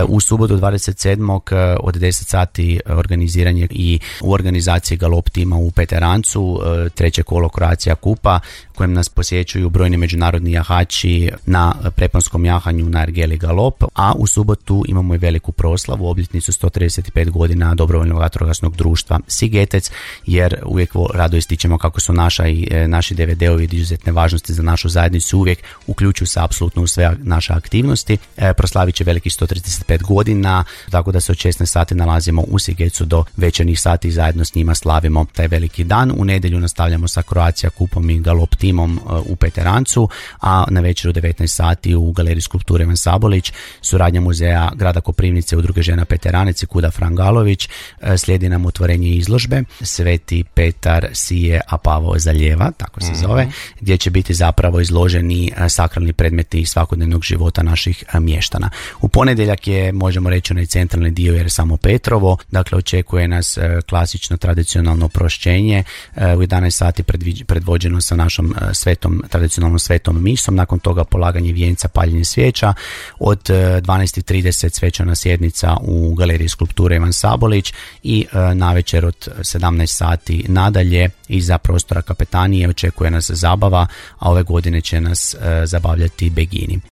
U subotu 27. od 10 sati organiziranje i u organizaciji galop tima u Peterancu, treće kolo Croatia Kupa, kojem nas posjećuju brojni međunarodni jahači na preponskom jahanju na ergeli galop, a u subotu imamo i veliku proslavu, obljetnicu 135 godina dobrovoljnog vatrogasnog društva Sigetec, jer uvijek rado ističemo kako su naši DVD-ovi izuzetne važnosti za našu zajednicu, uvijek uključuju se apsolutno u sve naše aktivnosti. Proslavit će velikih 135 godina, tako da se od 16 sati nalazimo u Sigecu do večernjih sati i zajedno s njima slavimo taj veliki dan. U nedjelju nastavljamo sa Croatia Kupom i galop timom u Peterancu, a na večer u 19 sati u Galeriji skulpture Ivan Sabolić, suradnja muzeja grada Koprivnice, Udruge žena Peteranec i Kuda Frangalović, slijedi nam otvorenje izložbe Sveti Petar sije, a Pavao zalijeva, tako se zove, gdje će biti zapravo izloženi sakralni predmeti svakodnevnog života naših mještana. U ponedjeljak je, možemo reći, onaj centralni dio jer samo Petrovo, dakle očekuje nas klasično tradicionalno prošćenje u 11 sati predvođeno sa našom tradicionalnom svetom misom, nakon toga polaganje vijenca, paljenje svijeća, od 12:30 svečana sjednica u Galeriji skulpture Ivan Sabolić i navečer od 17 sati nadalje iza prostora kapetanije očekuje nas zabava, a ove godine će nas zabavljati Begini.